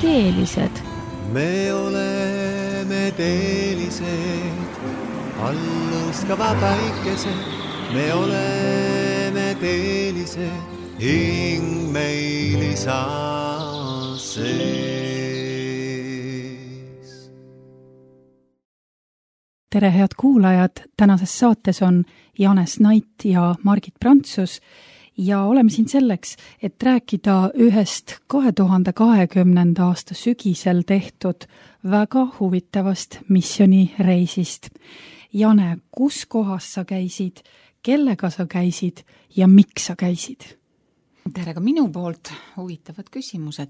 teelised. Me oleme teelised, allõskava päikesed. Me oleme teelised, hing meil isa sees. Tere, head kuulajad! Tänases saates on Janes Nait ja Margit Prantsus ja oleme siin selleks, et rääkida ühest 2020. aasta sügisel tehtud väga huvitavast missioonireisist. Jane, kus kohas sa käisid, kellega sa käisid ja miks sa käisid? Tere ka minu poolt, huvitavad küsimused.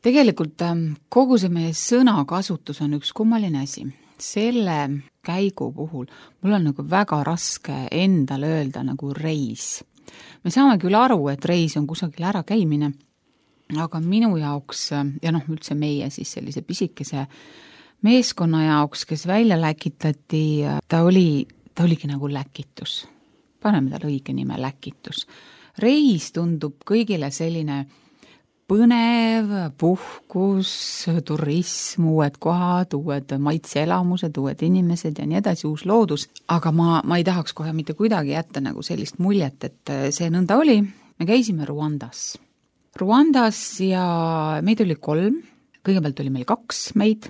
Tegelikult kogu see meie sõnakasutus on üks kummaline asi. Selle käigu puhul mul on nagu väga raske endale öelda nagu reis. Me saame küll aru, et reis on kusagil ära käimine, aga minu jaoks, ja üldse meie siis sellise pisikese meeskonna jaoks, kes välja läkitati, ta oligi nagu läkitus. Paneme tal õige nime läkitus. Reis tundub kõigile selline põnev, puhkus, turism, uued kohad, uued maitseelamused, uued inimesed ja nii edasi, uus loodus. Aga ma ei tahaks kohe mitte kuidagi jätta nagu sellist muljet, et see nõnda oli. Me käisime Ruandas ja meid oli 3. Kõigepealt oli meil 2 meid,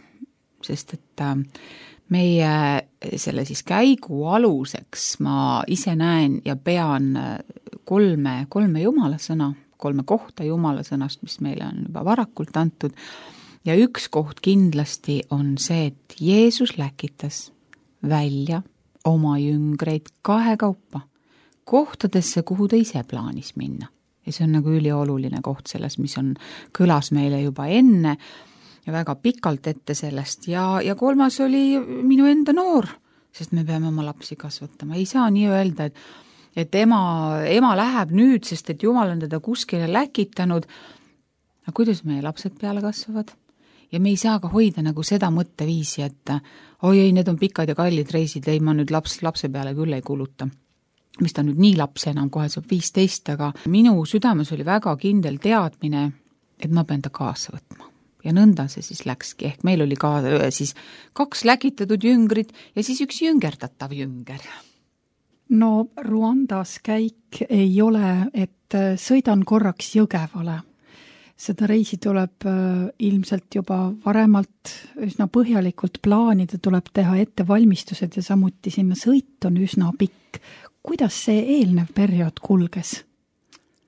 sest et meie selle siis käigu aluseks ma ise näen ja pean 3 jumala sõna, 3 kohta jumala sõnast, mis meile on juba varakult antud. Ja üks koht kindlasti on see, et Jeesus läkitas välja oma jüngreid 2 kaupa kohtadesse, kuhu ta ise plaanis minna. Ja see on nagu ülioluline koht selles, mis kõlas meile juba enne ja väga pikalt ette sellest. Ja 3. oli minu enda noor, sest me peame oma lapsi kasvatama. Ei saa nii öelda, et ema läheb nüüd, sest et Jumal on teda kuskile läkitanud. Aga kuidas meie lapsed peale kasvavad? Ja me ei saa ka hoida nagu seda mõtteviisi, et oi, need on pikad ja kallid reisid, ei ma nüüd lapse peale küll ei kuluta. Mis ta nüüd nii laps enam, kohe saab 15, aga minu südames oli väga kindel teadmine, et ma pean ta kaasa võtma. Ja nõnda see siis läkski, ehk meil oli ka siis 2 läkitatud jüngrid ja siis üks jüngerdatav jünger. No Ruandas käik ei ole, et sõidan korraks Jõgevale. Seda reisi tuleb ilmselt juba varemalt üsna põhjalikult plaanida, tuleb teha ettevalmistused ja samuti sinna sõit on üsna pikk. Kuidas see eelnev periood kulges?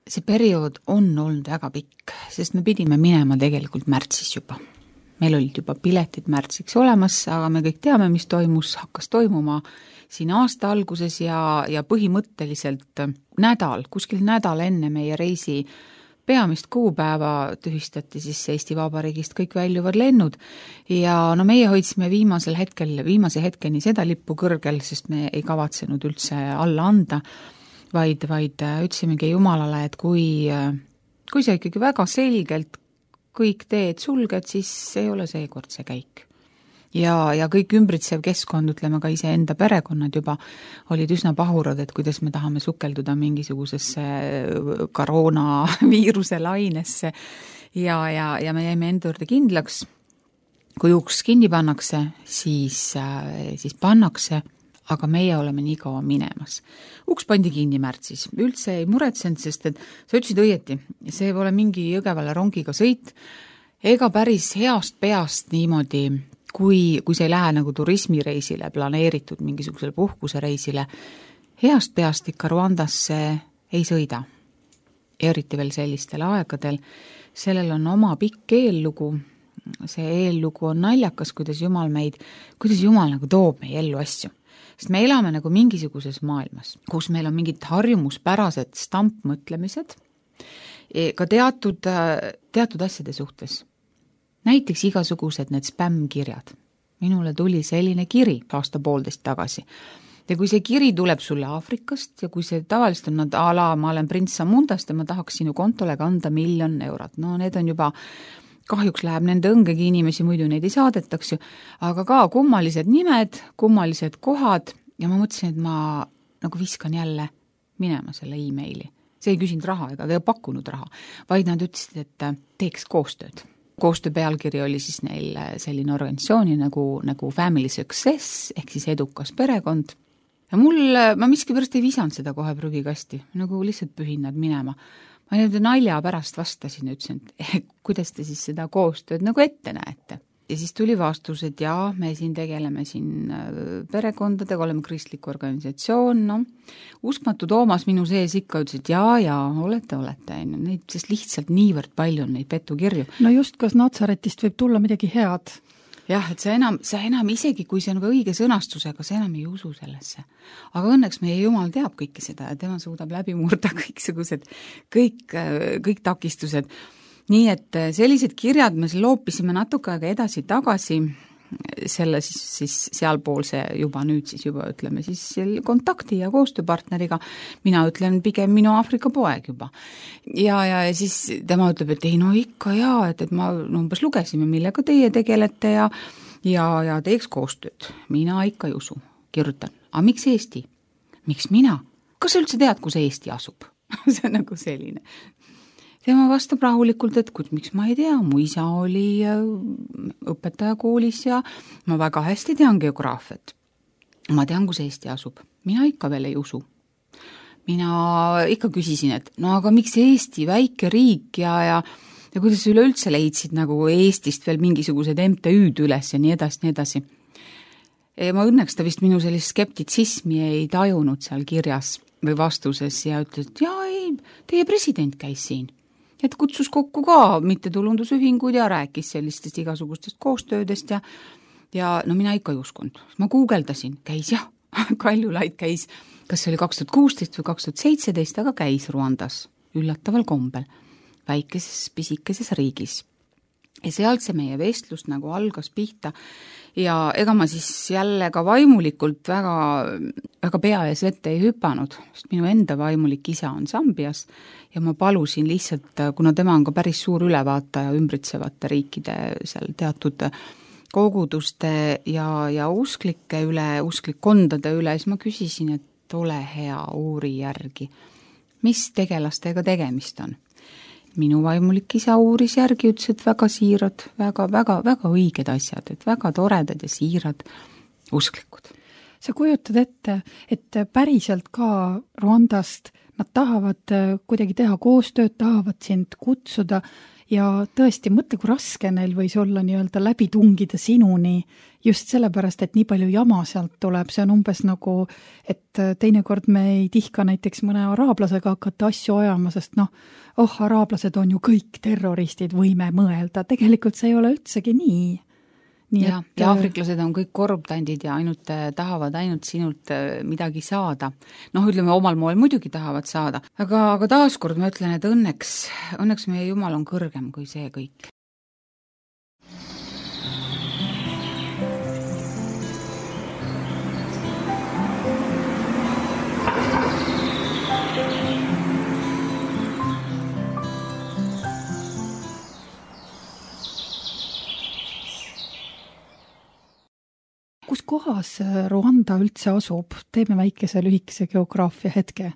See periood on olnud väga pikk, sest me pidime minema tegelikult märtsis juba. Meil olid juba piletid märtsiks olemas, aga me kõik teame, mis hakkas toimuma siin aasta alguses ja põhimõtteliselt kuskil nädal enne meie reisi peamist kuupäeva tühistati siis Eesti Vabariigist kõik väljuvad lennud ja meie hoidsime viimase hetkeni seda lippu kõrgel, sest me ei kavatsenud üldse alla anda, vaid ütlesimegi Jumalale, et kui sa ikkagi väga selgelt kõik teed sulged, siis ei ole seekord see käik. Ja kõik ümbritsev keskkond, ütleme ka ise enda perekonnad juba, olid üsna pahurad, et kuidas me tahame sukelduda mingisugusesse koroonaviiruse lainesse ja me jäime enda juurde kindlaks. Kui uks kinni pannakse, siis pannakse, aga meie oleme nii kaua minemas. Uks pandi kinni märtsis. Üldse ei muretsenud, sest et sa ütlesid õieti, see pole mingi Jõgevale rongiga sõit, ega päris heast peast niimoodi, kui sa ei lähe nagu turismireisile, planeeritud mingisugusele puhkusereisile, heast peast ikka Ruandasse ei sõida. Eriti veel sellistel aegadel. Sellel on oma pikk eellugu. See eellugu on naljakas, kuidas Jumal nagu toob meie ellu asju. Sest me elame nagu mingisuguses maailmas, kus meil on mingid harjumuspärased stampmõtlemised ka teatud asjade suhtes. Näiteks igasugused need spämmkirjad. Minule tuli selline kiri 1.5 tagasi. Ja kui see kiri tuleb sulle Aafrikast ja kui see tavaliselt on ma olen prints Samundast ja ma tahaks sinu kontole kanda 1 000 000 eurot. No need on juba, kahjuks läheb nende õngegi inimesi, muidu neid ei saadetaks ju, aga ka kummalised nimed, kummalised kohad ja ma mõtlesin, et ma nagu viskan jälle minema selle e-maili. See ei küsinud raha ega pakkunud raha, vaid nad ütlesid, et teeks koostööd. koostöö pealkiri oli siis neil selline organisatsiooni nagu Family Success ehk siis edukas perekond. Ja ma miskipärast ei visanud seda kohe prügikasti, nagu lihtsalt pühin nad minema. Ma nalja pärast vastasin ja ütlesin, et kuidas te siis seda koostööd nagu ette näete. Ja siis tuli vastus, et jaa, me siin tegeleme siin perekondadega, oleme kristlik organisatsioon, uskmatu Toomas minu sees ikka ütles, et jaa, olete, neid sest lihtsalt niivõrd palju on neid petukirju. No just, kas Natsaretist võib tulla midagi head? Jah, et sa enam isegi, kui see on ka õige sõnastusega, sa enam ei usu sellesse. Aga õnneks meie Jumal teab kõike seda ja tema suudab läbi murda kõik takistused. Nii et sellised kirjad me loopisime natuke aega edasi-tagasi, selle siis sealpoolse juba nüüd siis juba ütleme siis kontakti ja koostööpartneriga, mina ütlen pigem minu Aafrika poeg juba. Ja siis tema ütleb, et ei ikka jaa, et ma umbes lugesime, millega teie tegelete ja teeks koostööd. Mina ikka ei usu, kirjutan. Aga miks Eesti? Miks mina? Kas sa üldse tead, kus Eesti asub? See on nagu selline. Tema vastab rahulikult, et miks ma ei tea, mu isa oli õpetaja koolis ja ma väga hästi tean geograafiat. Ma tean, kus Eesti asub. Mina ikka veel ei usu. Mina ikka küsisin, et aga miks Eesti, väike riik ja kuidas üleüldse leidsid nagu Eestist veel mingisugused MTÜ-d üles ja nii edasi. Ma õnneks ta vist minu sellist skeptitsismi ei tajunud seal kirjas või vastuses ja ütles, et teie president käis siin. Et kutsus kokku ka mittetulundusühingud ja rääkis sellistest igasugustest koostöödest ja mina ikka ei uskunud. Ma guugeldasin, käis Kaljulaid käis, kas see oli 2016 või 2017, aga käis Ruandas üllataval kombel, väikeses pisikeses riigis. Ja sealt see meie vestlus nagu algas pihta ja ega ma siis jälle ka vaimulikult väga pea ees vette ei hüpanud, sest minu enda vaimulik isa on Sambias ja ma palusin lihtsalt, kuna tema on ka päris suur ülevaataja ümbritsevate riikide seal teatud koguduste ja usklikkondade üle, siis ma küsisin, et ole hea, uuri järgi, mis tegelastega tegemist on. Minu vaimulik isa uuris järgi, ütles, et väga siirad, väga õiged asjad, et väga toredad ja siirad usklikud. Sa kujutad ette, et päriselt ka Rwandast nad tahavad kuidagi teha koostööd, tahavad sind kutsuda ja tõesti mõtle, kui raske neil võis olla nii-öelda läbi tungida sinuni just sellepärast, et nii palju jama sealt tuleb. See on umbes nagu, et teinekord me ei tihka näiteks mõne araablasega hakata asju ajama, sest araablased on ju kõik terroristid, võime mõelda. Tegelikult see ei ole üldsegi nii. Ja aafriklased on kõik korruptandid ja tahavad ainult sinult midagi saada. Ütleme, omal moel muidugi tahavad saada. Aga taaskord ma ütlen, et õnneks meie Jumal on kõrgem kui see kõik. Kus kohas Rwanda üldse asub? Teeme väikese lühikese geograafia hetke.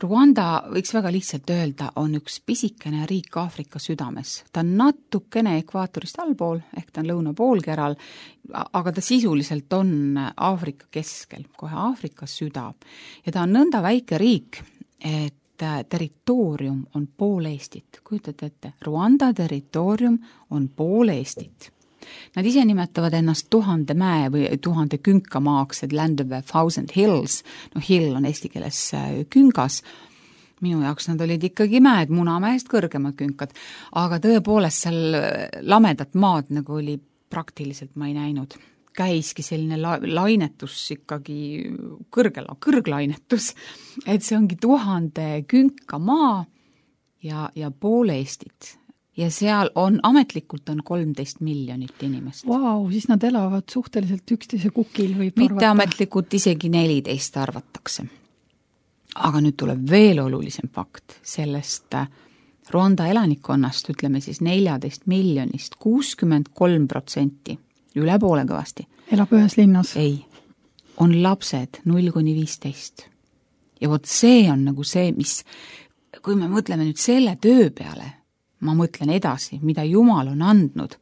Rwanda, võiks väga lihtsalt öelda, on üks pisikene riik Aafrika südames. Ta on natukene ekvaatorist allpool, ehk ta on lõunapoolkeral, aga ta sisuliselt on Aafrika keskel, kohe Aafrika süda. Ja ta on nõnda väike riik, et territoorium on pool Eestit. Kujutate ette, Rwanda territoorium on pool Eestit. Nad ise nimetavad ennast 1000 mäe või 1000 künkamaaks, et Land of 1000 Hills. Hill on eesti keeles küngas. Minu jaoks nad olid ikkagi mäed, Munamäest kõrgemad künkad. Aga tõepoolest seal lamedat maad nagu oli praktiliselt ma ei näinud. Käiski selline lainetus ikkagi kõrglainetus. Et see ongi 1000 künkamaa ja pool Eestit. Ja seal ametlikult on 13 miljonit inimest. Vau, siis nad elavad suhteliselt üksteise kukil või mitte ametlikult isegi 14 arvatakse. Aga nüüd tuleb veel olulisem fakt sellest Rwanda elanikkonnast, ütleme siis 14 miljonist, 63%, üle poole kõvasti. Elab ühes linnas? Ei, on lapsed 0–15. Ja vot see on nagu see, mis, kui me mõtleme nüüd selle töö peale, ma mõtlen edasi, mida Jumal on andnud,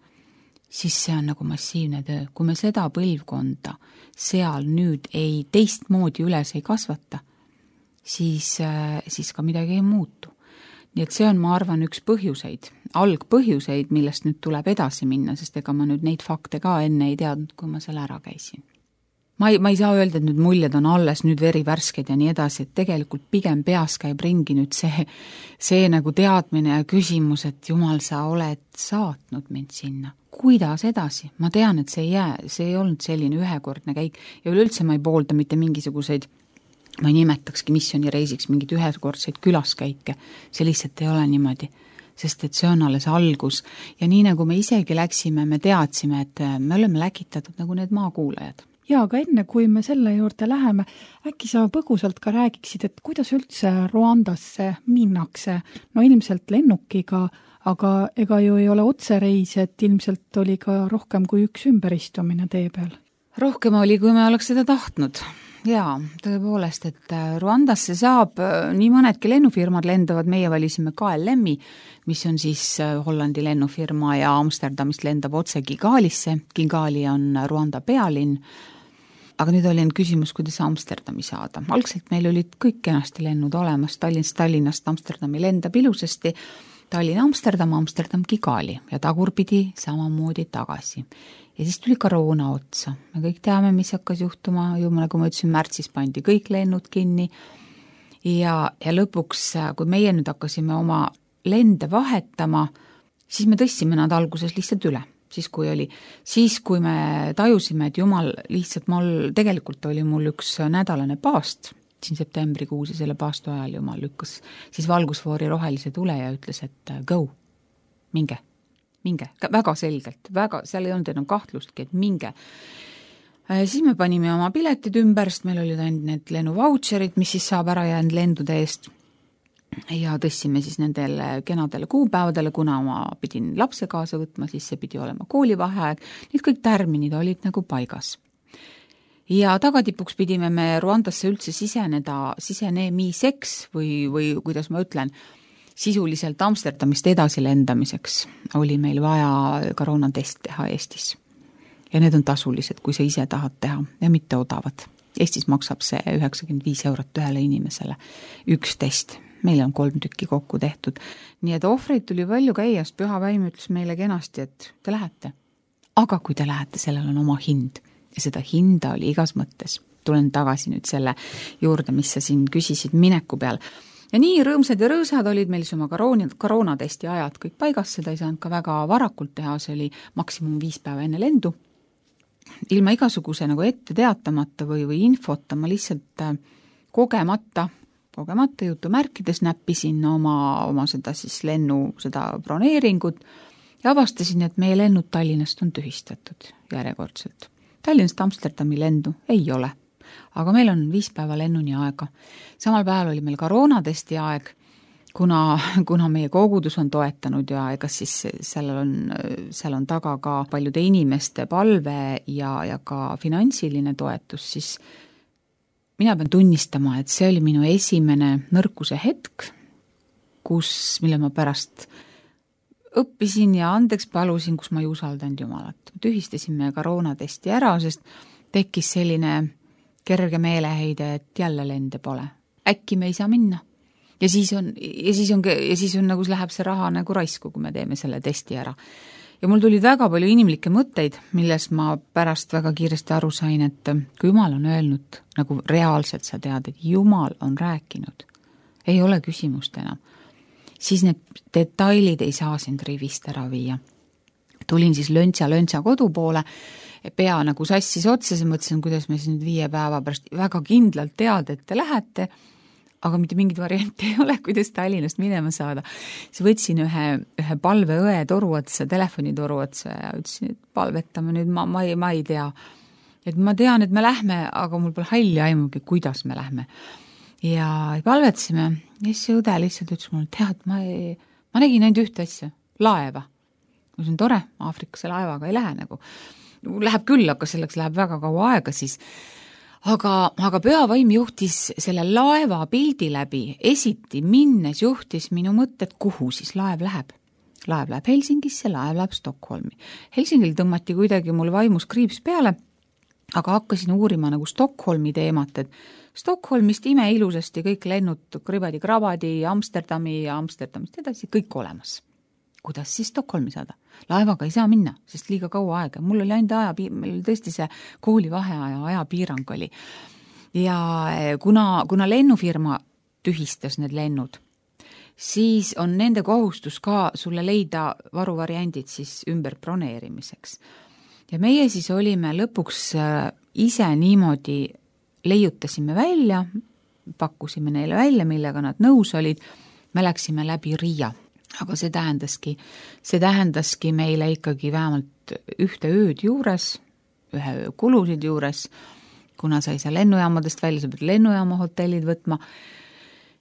siis see on nagu massiivne töö. Kui me seda põlvkonda seal nüüd ei teistmoodi üles ei kasvata, siis ka midagi ei muutu. Nii et see on, ma arvan, üks põhjuseid, algpõhjuseid, millest nüüd tuleb edasi minna, sest ega ma nüüd neid fakte ka enne ei teadnud, kui ma selle ära käisin. Ma ei saa öelda, et nüüd muljed on alles nüüd verivärsked ja nii edasi, et tegelikult pigem peas käib ringi nüüd see nagu teadmine ja küsimus, et Jumal, sa oled saatnud mind sinna. Kuidas edasi? Ma tean, et see ei olnud selline ühekordne käik ja üleüldse ma ei poolda mitte mingisuguseid, ma ei nimetakski missioonireisiks mingid ühekordseid külaskäike. See lihtsalt ei ole niimoodi, sest et see on alles algus ja nii nagu me isegi läksime, me teadsime, et me oleme läkitatud nagu need maakuulajad. Ja, aga enne kui me selle juurde läheme, äkki sa põgusalt ka räägiksid, et kuidas üldse Ruandasse minnakse? No ilmselt lennukiga, aga ega ju ei ole otsereis, et ilmselt oli ka rohkem kui üks ümberistumine tee peal. Rohkem oli, kui me oleks seda tahtnud. Jaa, tõepoolest, et Ruandasse saab nii mõnedki lennufirmad lendavad, meie valisime KLM-i, mis on siis Hollandi lennufirma ja Amsterdamist lendab otse Kigalisse. Kigali on Ruanda pealinn. Aga nüüd oli küsimus, kuidas Amsterdami saada. Algselt meil olid kõik kenasti lennud olemas, Tallinnast Amsterdami lendab ilusasti, Tallinn-Amsterdam, Amsterdam-Kigali ja tagurpidi samamoodi tagasi. Ja siis tuli koroona otsa. Me kõik teame, mis hakkas juhtuma, nagu ma ütlesin, märtsis pandi kõik lennud kinni ja lõpuks, kui meie nüüd hakkasime oma lende vahetama, siis me tõstsime nad alguses lihtsalt üle. Siis kui me tajusime, et Jumal lihtsalt tegelikult oli mul üks nädalane paast, siin septembrikuus ja selle paastu ajal Jumal lükkas siis valgusfoori rohelise tule ja ütles, et go, minge, väga selgelt, seal ei olnud enam kahtlustki, et minge. Siis me panime oma piletid ümber, sest meil olid ainult need lennuvautšerid, mis siis saab ära jäänud lendude eest. Ja tõstsime siis nendele kenadele kuupäevadele, kuna ma pidin lapse kaasa võtma, siis see pidi olema koolivaheaeg. Need kõik tärminid olid nagu paigas. Ja tagatipuks pidime me Ruandasse üldse sisenemiseks või kuidas ma ütlen, sisuliselt Amsterdamist edasi lendamiseks oli meil vaja koroonatest teha Eestis. Ja need on tasulised, kui sa ise tahad teha ja mitte odavad. Eestis maksab see 95 € ühele inimesele üks test. Meil on 3 tükki kokku tehtud. Nii et ohvreid tuli palju käiast, Püha Vaim ütles meile kenasti, et te lähete. Aga kui te lähete, sellel on oma hind. Ja seda hinda oli igas mõttes. Tulen tagasi nüüd selle juurde, mis sa siin küsisid mineku peal. Ja nii rõõmsad ja rõõsad olid meil oma koroonatesti ajad kõik paigas, seda ei saanud ka väga varakult teha, see oli maksimum 5 päeva enne lendu. Ilma igasuguse nagu ette teatamata või infota, ma lihtsalt kogemata jutumärkides näppisin oma seda siis seda broneeringut ja avastasin, et meie lennud Tallinnast on tühistatud järjekordselt. Tallinnast Amsterdami lendu ei ole, aga meil on 5 päeva lennuni aega. Samal päeval oli meil koroonatesti aeg, kuna meie kogudus on toetanud ja ega siis seal on taga ka paljude inimeste palve ja ka finantsiline toetus, siis mina pean tunnistama, et see oli minu esimene nõrkuse hetk, mille ma pärast õppisin ja andeks palusin, kus ma ei usaldanud Jumalat. Tühistasime koroonatesti ära, sest tekkis selline kerge meeleheide, et jälle lende pole. Äkki me ei saa minna. Ja siis on nagu läheb see raha nagu raisku, kui me teeme selle testi ära. Ja mul tuli väga palju inimlikke mõtteid, milles ma pärast väga kiiresti aru sain, et kui Jumal on öelnud, nagu reaalselt sa tead, et Jumal on rääkinud, ei ole küsimust enam, siis need detailid ei saa sind rivist ära viia. Tulin siis löntsa kodu poole, pea nagu sassis otsa, mõtlesin, kuidas me siin 5 päeva pärast väga kindlalt tead, et te lähete, aga mitte mingit varianti ei ole, kuidas Tallinnast minema saada. Siis võtsin ühe palveõe telefonitoru otsa ja ütlesin, et palvetame nüüd, ma ei tea. Et ma tean, et me lähme, aga mul pole halli aimugi, kuidas me lähme. Ja palvetasime, ja siis see õde lihtsalt ütles mulle, tead, ma nägin ainult ühte asja, laeva. See on tore, Aafrikasse laevaga ei lähe nagu. Läheb küll, aga selleks läheb väga kaua aega siis. Aga Püha Vaim juhtis selle laeva pildi läbi, esiti minnes juhtis minu mõtted, kuhu siis laev läheb. laev läheb Helsingisse, laev läheb Stockholmi. Helsingil tõmmati kuidagi mul vaimus kriips peale, aga hakkasin uurima nagu Stockholmi teemat, et Stockholmist imeilusasti kõik lennud kribadi-krabadi Amsterdami ja Amsterdamist edasi, kõik olemas. Kuidas siis Stockholmi saada? Laevaga ei saa minna, sest liiga kaua aega. Mul oli ainult meil oli tõesti see koolivaheaja ajapiirang oli. Ja kuna lennufirma tühistas need lennud, siis on nende kohustus ka sulle leida varuvariandid siis ümber broneerimiseks. Ja meie siis olime lõpuks ise niimoodi, leiutasime välja, pakkusime neile välja, millega nad nõus olid, me läksime läbi Riia. Aga see tähendaski meile ikkagi vähemalt ühte ööd juures, ühe öö kulusid juures, kuna sa ei saa lennujaamadest välja, sa pead lennujaama hotellid võtma.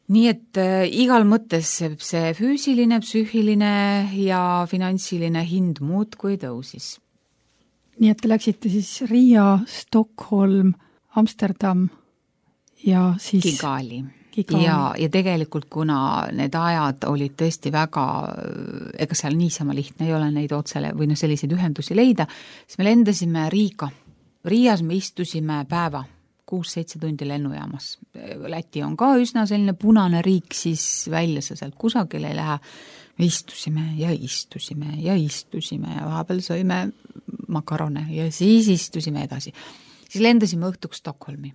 Nii et igal mõttes see füüsiline, psüühiline ja finantsiline hind muudkui tõusis. Nii et te läksite siis Riia, Stockholm, Amsterdam ja siis Kigali. Ja tegelikult, kuna need ajad olid tõesti väga, ega seal niisama lihtne ei ole neid otsele või selliseid ühendusi leida, siis me lendasime Riiga. Riias me istusime päeva, 6-7 tundi lennujaamas. Läti on ka üsna selline punane riik, siis välja sa sealt kusagil ei lähe. Me istusime ja vahepeal sõime makarone ja siis istusime edasi. Siis lendasime õhtuks Stockholmi.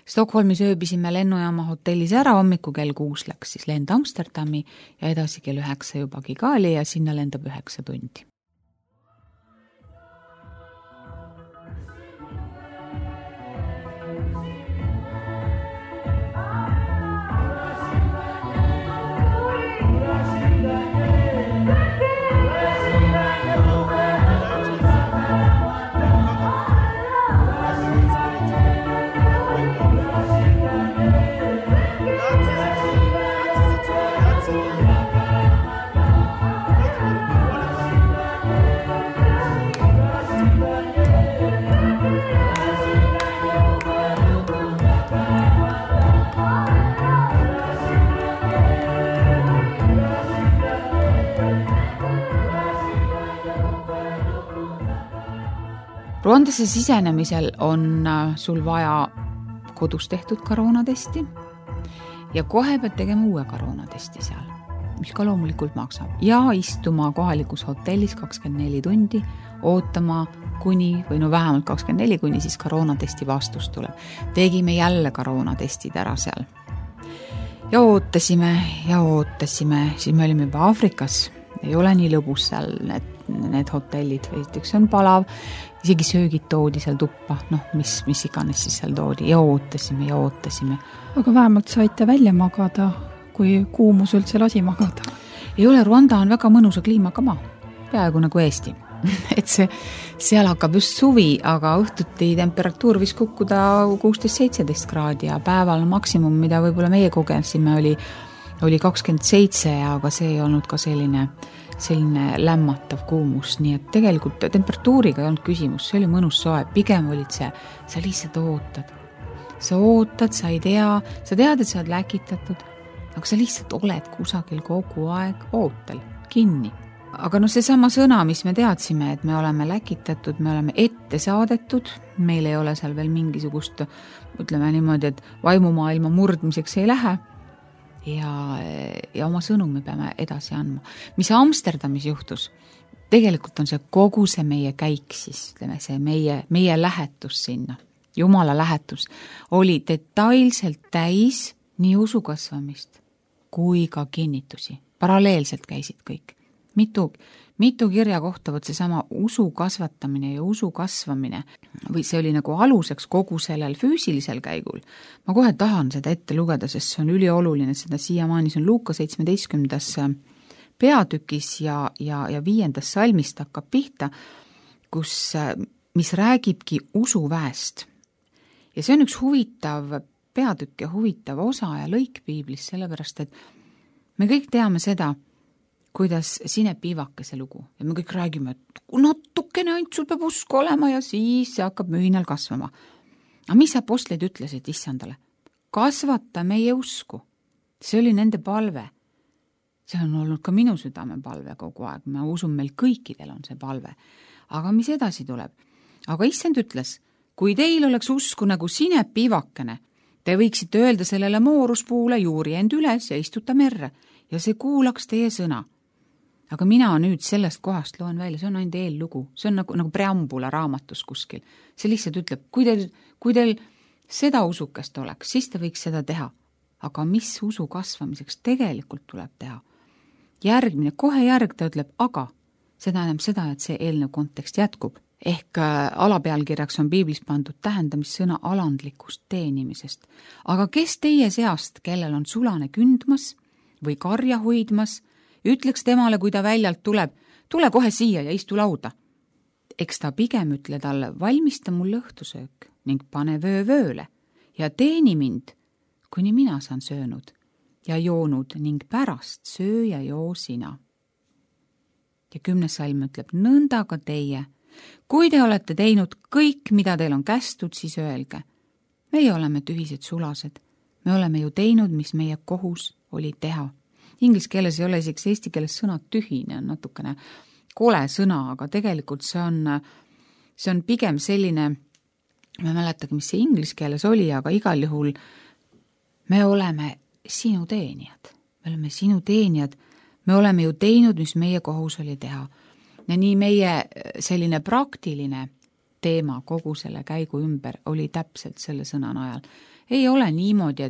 Stockholmis ööbisime lennujaama hotellis ära, hommiku kell 6 läks siis lend Amsterdami ja edasi kell 9 juba Kigali ja sinna lendab 9 tundi. Rwandesse sisenemisel on sul vaja kodus tehtud koroonatesti ja kohe pead tegema uue koroonatesti seal, mis ka loomulikult maksab. Ja istuma kohalikus hotellis 24 tundi, ootama kuni, või vähemalt 24 kuni siis koroonatesti vastus tuleb. Tegime jälle koroonatestid ära seal. Ja ootasime, siis me olime juba Aafrikas. Ei ole nii lõbus seal need hotellid, üks on palav, isegi söögid toodi seal tuppa, mis iganes siis seal toodi ja ootasime. Aga vähemalt saite välja magada, kui kuumus üldse lasi magada? Ei ole, Rwanda on väga mõnusa kliimaga maa, peaaegu nagu Eesti. Et seal hakkab just suvi, aga õhtuti temperatuur võis kukkuda 16-17 kraadi ja päeval maksimum, mida võib-olla meie kogesime, oli 27, aga see ei olnud ka selline lämmatav kuumus, nii et tegelikult temperatuuriga ei olnud küsimus, see oli mõnus soe, pigem olid sa lihtsalt ootad. Sa ootad, sa ei tea, sa tead, et sa oled läkitatud, aga sa lihtsalt oled kusagil kogu aeg ootel, kinni. Aga seesama sõna, mis me teadsime, et me oleme läkitatud, me oleme ette saadetud, meil ei ole seal veel mingisugust, ütleme niimoodi, et vaimumaailma murdmiseks ei lähe, ja oma sõnumi peame edasi andma. Mis Amsterdamis juhtus, tegelikult on see kogu see meie käik siis, see meie lähetus sinna, Jumala lähetus, oli detailselt täis nii usu kasvamist kui ka kinnitusi. Paralleelselt käisid kõik. Mitu kirja kohta võt seesama usu kasvatamine ja usu kasvamine, või see oli nagu aluseks kogu sellel füüsilisel käigul. Ma kohe tahan seda ette lugeda, sest see on ülioluline, seda siiamaani, see on Luuka 17. peatükis ja 5. salmist hakkab pihta, mis räägibki usuväest. Ja see on üks huvitav peatükk ja huvitav osa ja lõik piiblis, sellepärast, et me kõik teame seda, kuidas sineb piivakese lugu. Ja me kõik räägime, et natukene ainult sul peab usku olema ja siis see hakkab mühinal kasvama. Aga mis apostlid ütlesid issandale? Kasvata meie usku. See oli nende palve. see on olnud ka minu südamepalve kogu aeg, ma usun, meil kõikidel on see palve. Aga mis edasi tuleb? Aga issand ütles, kui teil oleks usku nagu sinepiivakene, te võiksite öelda sellele mooruspuule juuri end üles ja istuta merre ja see kuulaks teie sõna. Aga mina nüüd sellest kohast loen välja, see on ainult eellugu, see on nagu preambula raamatus kuskil. See lihtsalt ütleb, kui teil seda usukest oleks, siis te võiks seda teha. Aga mis usu kasvamiseks tegelikult tuleb teha? Järgmine, kohe järg ta ütleb, aga see tähendab seda, et see eelnev kontekst jätkub. Ehk alapealkirjaks on piiblis pandud tähendamissõna alandlikust teenimisest. Aga kes teie seast, kellel on sulane kündmas või karja hoidmas, ütleks temale, kui ta väljalt tuleb, tule kohe siia ja istu lauda. Eks ta pigem ütle talle, valmista mul õhtusöök ning pane vööle ja teeni mind, kuni mina saan söönud ja joonud ning pärast söö ja joo sina. Ja 10. salm ütleb, nõnda ka teie. Kui te olete teinud kõik, mida teil on kästud, siis öelge. Meie oleme tühised sulased. Me oleme ju teinud, mis meie kohus oli teha. Inglis keeles ei ole isegi eesti keeles sõna tühine, on natukene kole sõna, aga tegelikult see on pigem selline, ma ei mäletagi, mis see inglis keeles oli, aga igal juhul me oleme sinu teenijad. Me oleme sinu teenijad. Me oleme ju teinud, mis meie kohus oli teha. Ja nii meie selline praktiline teema kogu selle käigu ümber oli täpselt selle sõna najal. Ei ole niimoodi,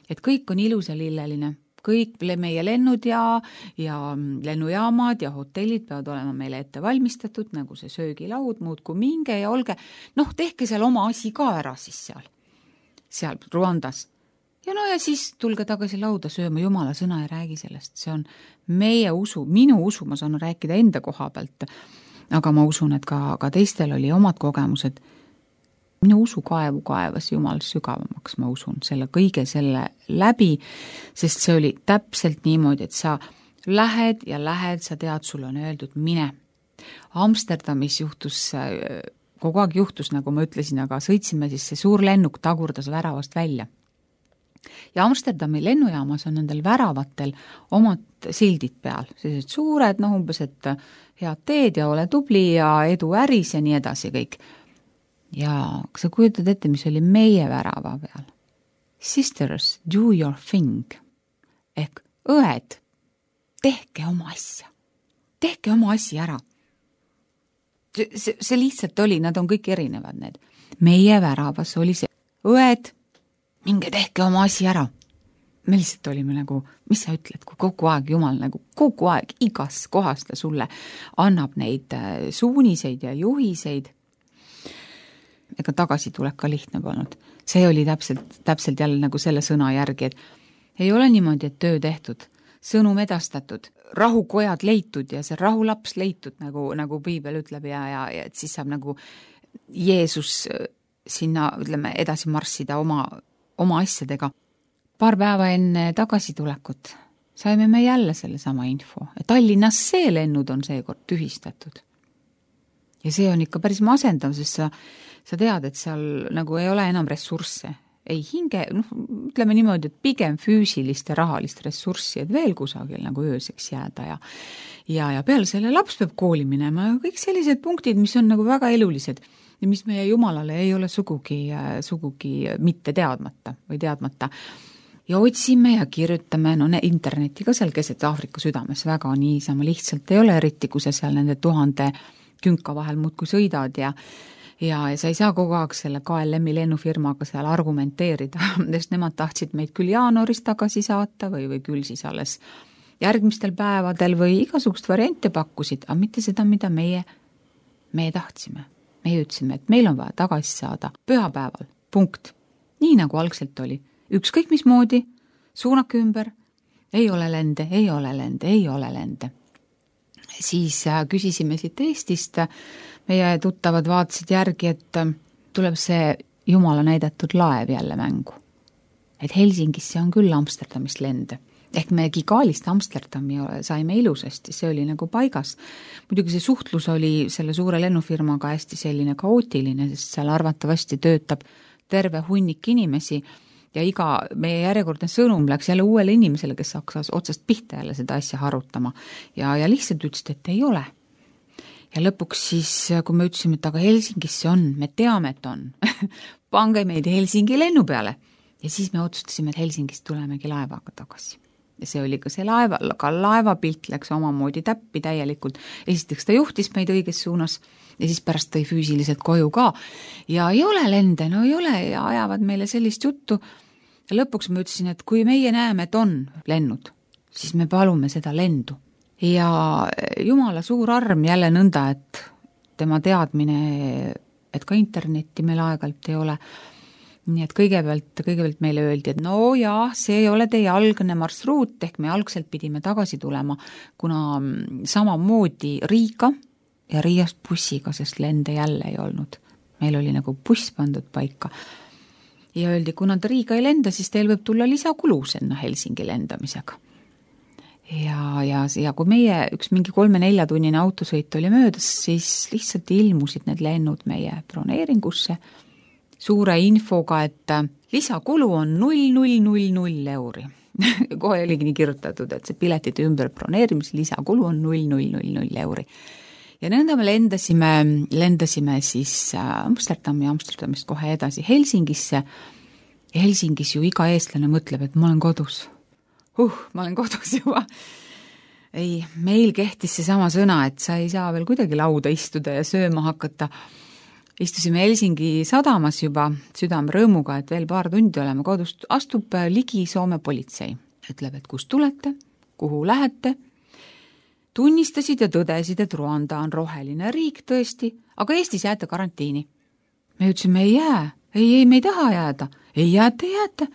et kõik on ilus ja lilleline. Kõik meie lennud ja lennujaamad ja hotellid peavad olema meile ette valmistatud, nagu see söögilaud, muud kui minge ja olge, tehke seal oma asi ka ära siis seal Ruandas. Ja ja siis tulge tagasi lauda sööma, Jumala sõna ja räägi sellest. See on meie usu, minu usu, ma saan rääkida enda koha pealt, aga ma usun, et ka teistel oli omad kogemused. Minu usu kaevas Jumal sügavamaks, ma usun, selle kõige selle läbi, sest see oli täpselt niimoodi, et sa lähed, sa tead, sul on öeldud mine. Amsterdamis kogu aeg juhtus, nagu ma ütlesin, aga sõitsime siis see suur lennuk tagurdas väravast välja. Ja Amsterdami lennujaamas on nendel väravatel omad sildid peal, sellised suured, umbes, et head teed ja ole tubli ja edu äris ja nii edasi kõik. Ja sa kujutad ette, mis oli meie värava peal. Sisters, do your thing. Ehk õed, tehke oma asja. Tehke oma asja ära. See lihtsalt oli, nad on kõik erinevad need. Meie väravas oli see õed, minge tehke oma asja ära. Me lihtsalt olime nagu, mis sa ütled, kui kogu aeg Jumal nagu kogu aeg igas kohas ta sulle annab neid suuniseid ja juhiseid. Ega tagasi tuleb ka lihtne polnud. See oli täpselt jälle nagu selle sõna järgi, et ei ole niimoodi, et töö tehtud, sõnum edastatud, rahukojad leitud ja see rahulaps leitud, nagu piibel ütleb ja et siis saab nagu Jeesus sinna, ütleme, edasi marssida oma asjadega. Paar päeva enne tagasitulekut saime me jälle selle sama info, et Tallinnas see lennud on seekord tühistatud. Ja see on ikka päris masendav, sest sa tead, et seal nagu ei ole enam ressursse. Ei hinge, ütleme niimoodi, et pigem füüsilist ja rahalist ressurssi, et veel kusagil nagu ööseks jääda ja peale selle laps peab kooli minema ja kõik sellised punktid, mis on nagu väga elulised ja mis meie Jumalale ei ole sugugi mitte teadmata või teadmata. Ja otsime ja kirjutame, interneti ka seal keset Aafrika südames väga niisama lihtsalt ei ole, eriti kui sa seal nende 1000 künka vahel muudkui sõidad ja sa ei saa kogu aeg selle KLM-i lennufirmaga seal argumenteerida, sest nemad tahtsid meid küll jaanuaris tagasi saata või küll siis alles järgmistel päevadel või igasugust variante pakkusid, aga mitte seda, mida meie tahtsime. Meie ütlesime, et meil on vaja tagasi saada pühapäeval, punkt. Nii nagu algselt oli. Ükskõik mismoodi, suunake ümber, ei ole lende. Siis küsisime siit Eestist, meie tuttavad vaatasid järgi, et tuleb see Jumala näidatud laev jälle mängu. Et Helsingisse on küll Amsterdamist lende. Ehk me Gigaalist Amsterdami saime ilusasti, see oli nagu paigas. Muidugi see suhtlus oli selle suure lennufirmaga hästi selline kaootiline, sest seal arvatavasti töötab terve hunnik inimesi ja iga meie järjekordne sõnum läks jälle uuele inimesele, kes hakkas otsast pihta jälle seda asja harutama ja lihtsalt ütlesid, et ei ole. Ja lõpuks siis, kui me ütlesime, et aga Helsingis see on, me teame, et on, pange meid Helsingi lennu peale. Ja siis me otsustasime, et Helsingist tulemegi laevaga tagasi. Ja see oli ka see laevapilt läks omamoodi täppi täielikult. Esiteks ta juhtis meid õiges suunas ja siis pärast tõi füüsiliselt koju ka. Ja ei ole lende, no ei ole ja ajavad meile sellist juttu. Ja lõpuks ma ütlesin, et kui meie näeme, et on lennud, siis me palume seda lendu. Ja Jumala suur arm jälle nõnda, et tema teadmine, et ka internetti meil aegalt ei ole. Nii et kõigepealt meile öeldi, et no jaa, see ei ole teie algne marsruut, ehk me algselt pidime tagasi tulema, kuna samamoodi Riiga ja Riiast bussiga, sest lende jälle ei olnud. Meil oli nagu buss pandud paika. Ja öeldi, kuna ta Riiga ei lenda, siis teil võib tulla lisakulu sinna Helsingi lendamisega. Ja kui meie üks mingi 3-4 tunnine autosõit oli möödas, siis lihtsalt ilmusid need lennud meie broneeringusse suure infoga, et lisakulu on 0,000 euri. Kohe oligi nii kirjutatud, et see piletite ümber broneerimise lisakulu on 0,000 euri. Ja nõnda me lendasime siis Amsterdamist kohe edasi Helsingisse. Ja Helsingis ju iga eestlane mõtleb, et ma olen kodus. Ma olen kodus juba. Ei, meil kehtis see sama sõna, et sa ei saa veel kuidagi lauda istuda ja sööma hakata. Istusime Helsingi sadamas juba südame rõõmuga, et veel paar tundi oleme kodust. Astub ligi Soome politsei. Ütleb, et kust tulete, kuhu lähete. Tunnistasid ja tõdesid, et Ruanda on roheline riik tõesti, aga Eestis jääte karantiini. Me ütlesime, ei jää. Ei, me ei taha jääda. Ei jääte.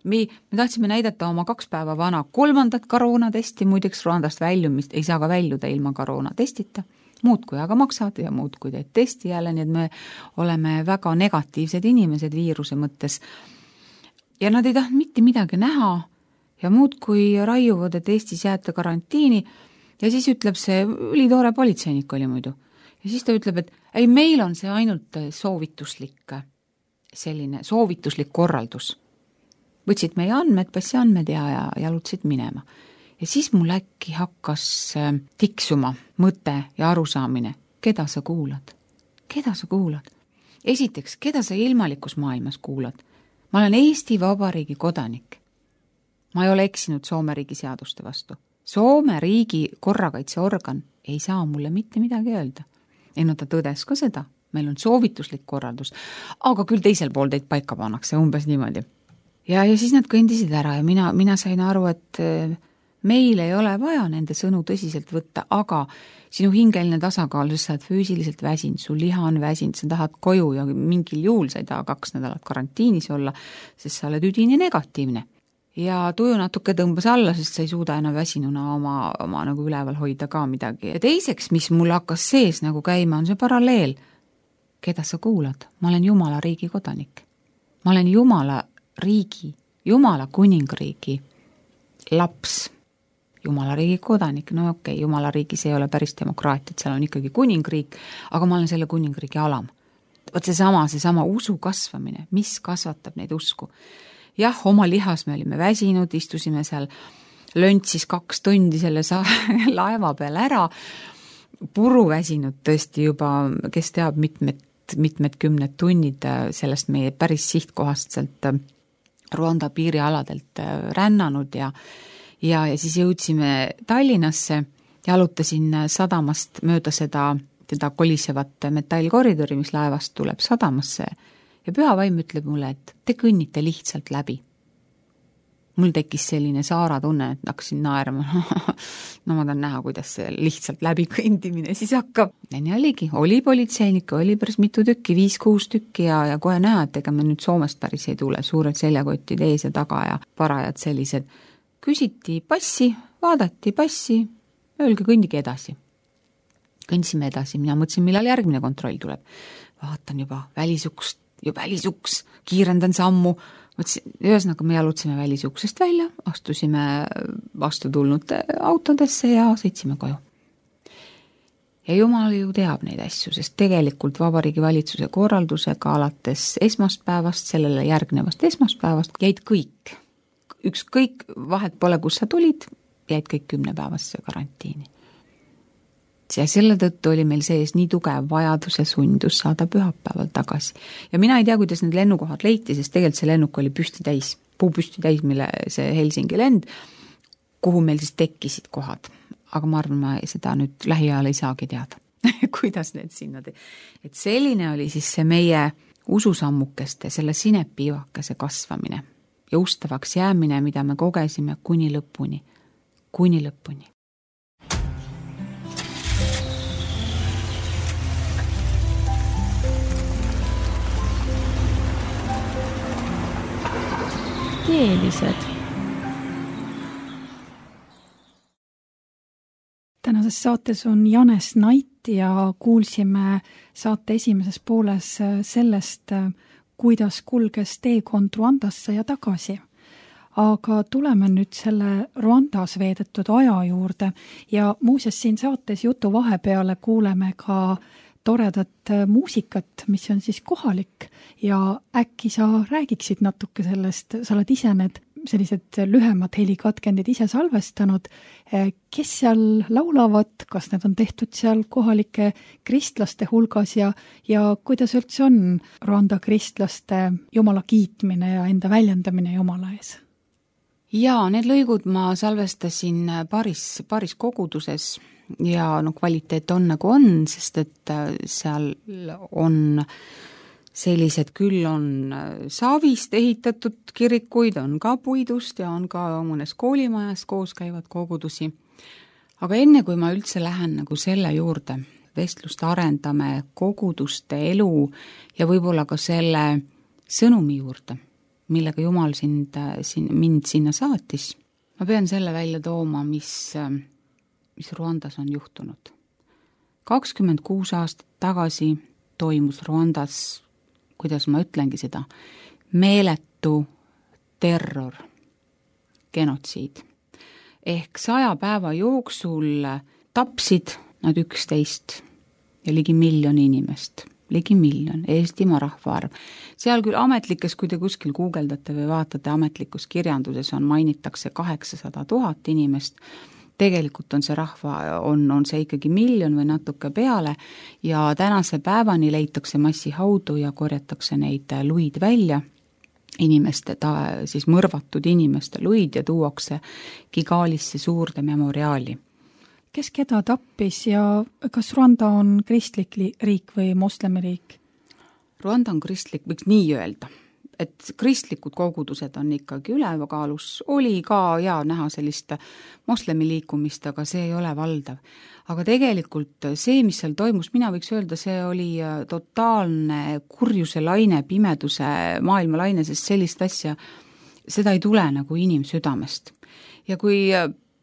Me tahtsime näidata oma 2 päeva vana 3. koroonatesti, muideks Ruandast väljumist ei saa ka väljuda ilma koroonatestita. Muud kui aga maksad ja muud kui teed testi jälle, nii et me oleme väga negatiivsed inimesed viiruse mõttes. Ja nad ei tahtnud mitte midagi näha ja muud kui raiuvad, et Eestis jääte karantiini ja siis ütleb see ülitoore politseinik oli muidu. Ja siis ta ütleb, et ei, meil on see ainult soovituslik korraldus. Võtsid meie andmed, passiandmed ja jalutasid minema. Ja siis mul äkki hakkas tiksuma mõte ja arusaamine. Keda sa kuulad? Esiteks, keda sa ilmalikus maailmas kuulad? Ma olen Eesti Vabariigi kodanik. Ma ei ole eksinud Soome riigi seaduste vastu. Soome riigi korrakaitseorgan ei saa mulle mitte midagi öelda. No ta tõdes ka seda. Meil on soovituslik korraldus. Aga küll teisel pool teid paika pannakse, umbes niimoodi. Ja siis nad kõndisid ära ja mina sain aru, et meil ei ole vaja nende sõnu tõsiselt võtta, aga sinu hingeline tasakaal, sest sa oled füüsiliselt väsinud, su liha on väsinud, sa tahad koju ja mingil juhul sa ei taha 2 nädalat karantiinis olla, sest sa oled üdini negatiivne. Ja tuju natuke tõmbas alla, sest sa ei suuda enam väsinuna oma nagu üleval hoida ka midagi. Ja teiseks, mis mul hakkas sees nagu käima, on see paralleel. Keda sa kuulad? Ma olen Jumala riigi kodanik. Ma olen Jumala kuningriigi laps. Jumala riigi kodanik, no okei, Jumala riigis ei ole päris demokraatiat, seal on ikkagi kuningriik, aga ma olen selle kuningriigi alam. Võt seesama usu kasvamine, mis kasvatab neid usku. Jah, oma lihas me olime väsinud, istusime seal löntsis 2 tundi selle laeva peal ära, puru väsinud tõesti juba, kes teab mitmed 10 tunnid sellest meie päris sihtkohast sealt Ruanda piirialadelt rännanud ja siis jõudsime Tallinnasse, jalutasin sadamast mööda seda kolisevat metallkoridori, mis laevast tuleb sadamasse ja Püha Vaim ütleb mulle, et te kõnnite lihtsalt läbi. Mul tekkis selline saara tunne, et hakkasin naerma. No ma tahan näha, kuidas see lihtsalt läbi kõndimine siis hakkab. Ja nii oligi, oli politseinik, oli päris mitu tükki, 5-6 tükki ja kohe näha, et ega me nüüd Soomest päris ei tule, suured seljakotid ees ja taga ja parajad sellised. Küsiti passi, vaadati passi, öelge kõndige edasi. Kõndisime edasi, mina mõtlesin, millal järgmine kontroll tuleb. Vaatan juba välisuks, kiirendan sammu, ühesõnaga me jalutsime välisuksest välja, astusime vastu tulnud autodesse ja sõitsime koju. Ja Jumal ju teab neid asju, sest tegelikult Vabariigi Valitsuse korraldusega alates esmaspäevast, sellele järgnevast esmaspäevast jäid kõik, ükskõik vahet pole, kus sa tulid, jäid kõik 10-päevasse karantiini. Ja selle tõttu oli meil sees nii tugev vajadus ja sundus saada pühapäeval tagasi. Ja mina ei tea, kuidas need lennukohad leiti, sest tegelikult see lennuk oli puupüsti täis, mille see Helsingi lend, kuhu meil siis tekkisid kohad. Aga ma arvan, ma seda nüüd lähiajal ei saagi teada, kuidas need sinna Et selline oli siis see meie ususammukeste, selle sinepiivakese kasvamine ja ustavaks jäämine, mida me kogesime kuni lõpuni. Teelised. Tänases saates on Janes Nait ja kuulsime saate esimeses pooles sellest, kuidas kulges teekond Ruandasse ja tagasi. Aga tuleme nüüd selle Ruandas veedetud aja juurde ja muuseas siin saates jutu vahepeale kuuleme ka toredat muusikat, mis on siis kohalik ja äkki sa räägiksid natuke sellest, sa oled ise need sellised lühemad helikatkendid ise salvestanud, kes seal laulavad, kas need on tehtud seal kohalike kristlaste hulgas ja kuidas üldse on Ruanda kristlaste Jumala kiitmine ja enda väljendamine Jumala ees? Jaa, need lõigud ma salvestasin paaris koguduses ja kvaliteet on nagu on, sest et seal on sellised, küll on saavist ehitatud kirikuid, on ka puidust ja on ka mõnes koolimajas koos käivad kogudusi. Aga enne kui ma üldse lähen nagu selle juurde, vestlust arendame koguduste elu ja võib-olla ka selle sõnumi juurde, millega Jumal mind sinna saatis, ma pean selle välja tooma, mis Ruandas on juhtunud. 26 aastat tagasi toimus Ruandas, kuidas ma ütlengi seda, meeletu terror, genotsiid. Ehk 100 päeva jooksul tapsid nad 11 ja ligi 1 miljon inimest. Ligi 1 miljon, Eestimaa rahvaarv. Seal küll ametlikes, kui te kuskil guugeldate või vaatate ametlikus kirjanduses, mainitakse 800 000 inimest. Tegelikult on see rahva, on see ikkagi 1 miljon või natuke peale ja tänase päevani leitakse massihaudu ja korjatakse neid luid välja, siis mõrvatud inimeste luid ja tuuakse Kigalisse suurde memoriaali. Kes keda tappis ja kas Ruanda on kristlik riik või moslemiriik? Ruanda on kristlik, võiks nii öelda. Et kristlikud kogudused on ikkagi ülekaalus, oli ka näha sellist moslemi liikumist, aga see ei ole valdav. Aga tegelikult see, mis seal toimus, mina võiks öelda, see oli totaalne kurjuse laine, pimeduse maailmalaine, sest sellist asja, seda ei tule nagu inimsüdamest. Ja kui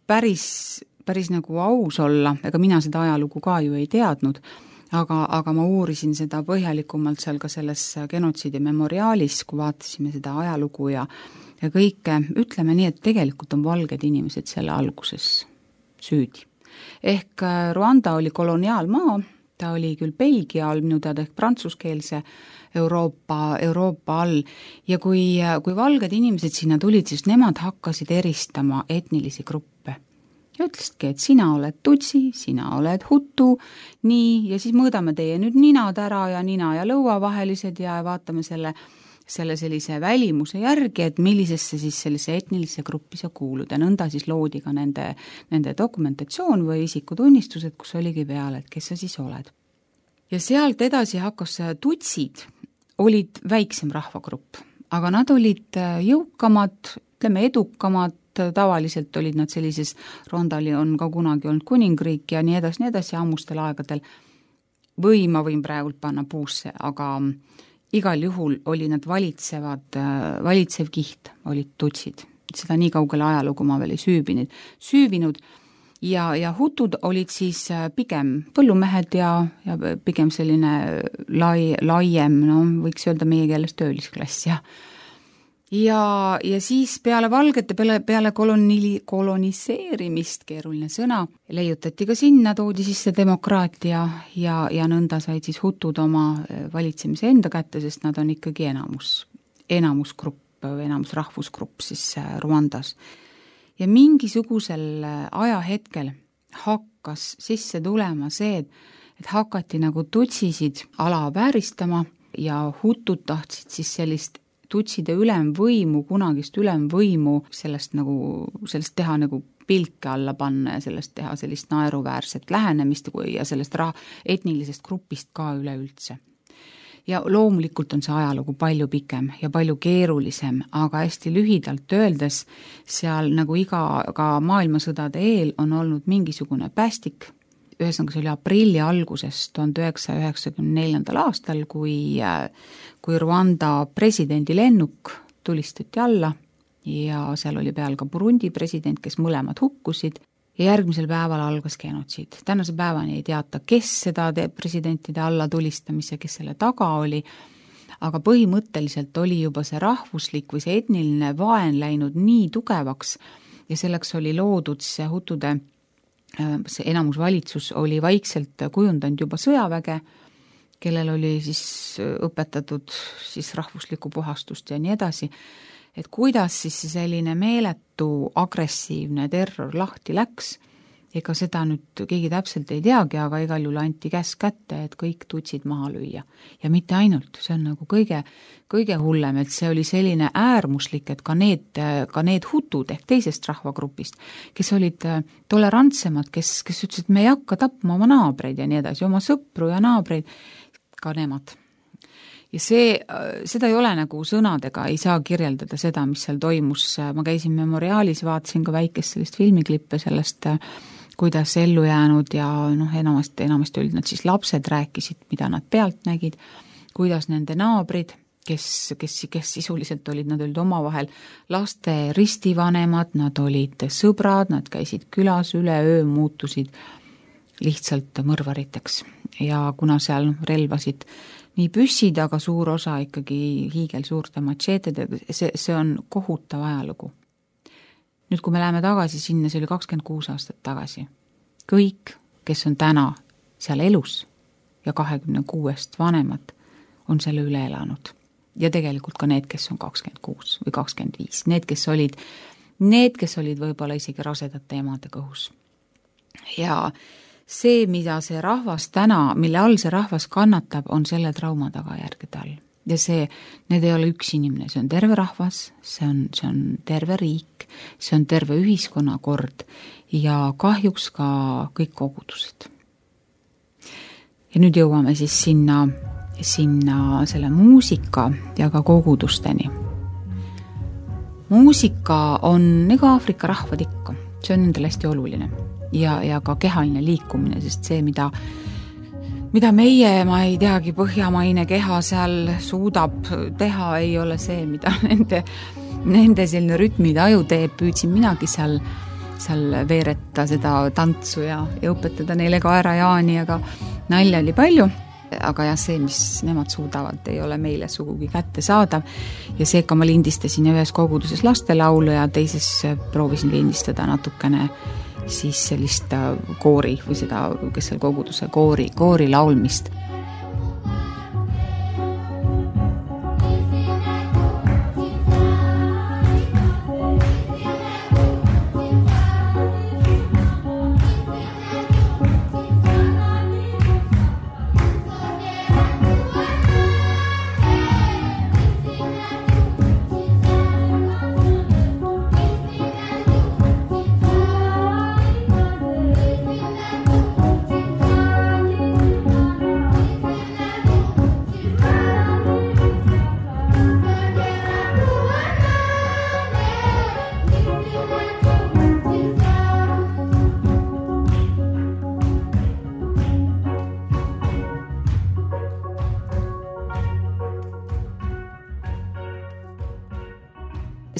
päris nagu aus olla, ega mina seda ajalugu ka ju ei teadnud, aga ma uurisin seda põhjalikumalt seal ka selles genotsiidi memoriaalis, kui vaatasime seda ajalugu ja kõike, ütleme nii, et tegelikult on valged inimesed selle alguses süüdi. Ehk Ruanda oli koloniaalmaa, ta oli küll Belgia all, minu teada ehk prantsuskeelse Euroopa all ja kui valged inimesed sinna tulid, siis nemad hakkasid eristama etnilisi gruppe. Ja ütlesidki, et sina oled tutsi, sina oled hutu, nii, ja siis mõõdame teie nüüd ninad ära ja nina ja lõua vahelised ja vaatame selle sellise välimuse järgi, et millisesse siis sellise etnilisse gruppi sa kuulud ja nõnda siis loodi ka nende dokumentatsioon või isikutunnistused, kus oligi peal, et kes sa siis oled. Ja sealt edasi hakkas tutsid, olid väiksem rahvagrupp, aga nad olid jõukamad, ütleme edukamad, tavaliselt olid nad sellises, Ruandali on ka kunagi olnud kuningriik ja nii edasi ammustel aegadel, või ma võin praegult panna puusse, aga igal juhul oli nad valitsev kiht, olid tutsid. Seda nii kaugele ajalugu ma veel ei süüvinud ja hutud olid siis pigem põllumehed ja pigem selline laiem, võiks öelda meie keeles töölisklass ja ja siis peale valgete, peale koloniseerimist, keeruline sõna, leiutati ka sinna, toodi sisse demokraatia ja nõnda said siis hutud oma valitsemise enda kätte, sest nad on ikkagi enamusgrupp, enamusrahvusgrupp siis Rwandas. Ja mingisugusel ajahetkel hakkas sisse tulema see, et hakati nagu tutsisid alavääristama ja hutud tahtsid siis sellist tutside ülemvõimu, kunagist ülemvõimu sellest teha nagu pilke alla panna ja sellest teha sellist naeruväärset lähenemist ja sellest etnilisest grupist ka üleüldse. Ja loomulikult on see ajalugu palju pikem ja palju keerulisem, aga hästi lühidalt öeldes seal nagu ka maailmasõdade eel on olnud mingisugune päästik. Ühesõnaga see oli aprilli alguses 1994. aastal, kui Rwanda presidendi lennuk tulistati alla ja seal oli peal ka Burundi president, kes mõlemad hukkusid ja järgmisel päeval algas genotsiid. Tänase päevani ei teata, kes seda presidentide alla tulistamise, kes selle taga oli, aga põhimõtteliselt oli juba see rahvuslik või see etniline vaen läinud nii tugevaks ja selleks oli loodud see hutude, see enamusvalitsus oli vaikselt kujundanud juba sõjaväge, kellel oli siis õpetatud siis rahvuslikku puhastust ja nii edasi, et kuidas siis selline meeletu agressiivne terror lahti läks, ega seda nüüd keegi täpselt ei teagi, aga igal juhul anti käsk kätte, et kõik tutsid maha lüüa. Ja mitte ainult, see on nagu kõige hullem, et see oli selline äärmuslik, et ka need hutud ehk teisest rahvagrupist, kes olid tolerantsemad, kes ütlesid, et me ei hakka tapma oma naabreid ja nii edasi, oma sõpru ja naabreid, ka nemad. Ja seda ei ole nagu sõnadega, ei saa kirjeldada seda, mis seal toimus. Ma käisin Memoriaalis, vaatasin ka väikest sellist filmiklippe sellest, kuidas ellu jäänud ja enamasti olid nad siis lapsed, rääkisid, mida nad pealt nägid, kuidas nende naabrid, kes sisuliselt nad olid omavahel laste ristivanemad, nad olid sõbrad, nad käisid külas üleöö, muutusid lihtsalt mõrvariteks. Ja kuna seal relvasid nii püssid, aga suur osa ikkagi hiigelsuurte matšeetedega, see on kohutav ajalugu. Nüüd, kui me läheme tagasi sinna, see oli 26 aastat tagasi. Kõik, kes on täna seal elus ja 26 vanemad, on selle üle elanud. Ja tegelikult ka need, kes on 26 või 25. Need, kes olid võib-olla isegi rasedate emade kõhus. Ja see, mida see rahvas täna, mille all see rahvas kannatab, on selle trauma tagajärgede all. Ja need ei ole üks inimene, see on terve rahvas, see on terve riik, see on terve ühiskonnakord ja kahjuks ka kõik kogudused. Ja nüüd jõuame siis sinna selle muusika ja ka kogudusteni. Muusika on ega Aafrika rahvad ikka, see on nendel hästi oluline. Ja ka kehaline liikumine, sest see, mida meie, ma ei teagi, põhjamaine keha seal suudab teha, ei ole see, mida nende selline rütmide aju teeb. Püüdsin minagi seal veeretta seda tantsu ja õpetada neile ka ära Jaani, aga nalja oli palju. Aga jah, see, mis nemad suudavad, ei ole meile sugugi kätte saadav. Ja seega ma lindistasin ühes koguduses lastelaulu ja teises proovisin lindistada natukene siis sellist koori või seda, kes seal koguduse koori laulmist.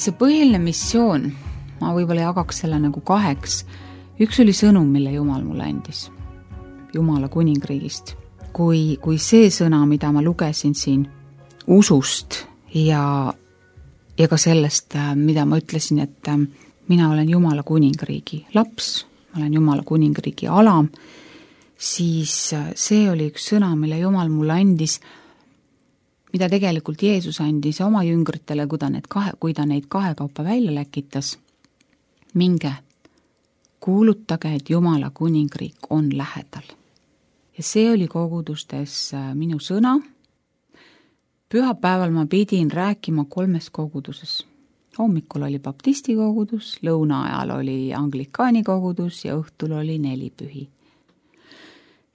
See põhiline missioon, ma võib-olla jagaks selle nagu kaheks. Üks oli sõnum, mille Jumal mulle andis, Jumala kuningriigist. Kui see sõna, mida ma lugesin siin usust ja ja ka sellest, mida ma ütlesin, et mina olen Jumala kuningriigi laps, ma olen Jumala kuningriigi alam, siis see oli üks sõna, mille Jumal mulle andis, mida tegelikult Jeesus andis oma jüngritele, kui ta neid kahekaupa välja läkitas. Minge, kuulutage, et Jumala kuningriik on lähedal. Ja see oli kogudustes minu sõna. Pühapäeval ma pidin rääkima 3 koguduses. Hommikul oli baptisti kogudus, lõuna ajal oli anglikaani kogudus ja õhtul oli 4 pühi.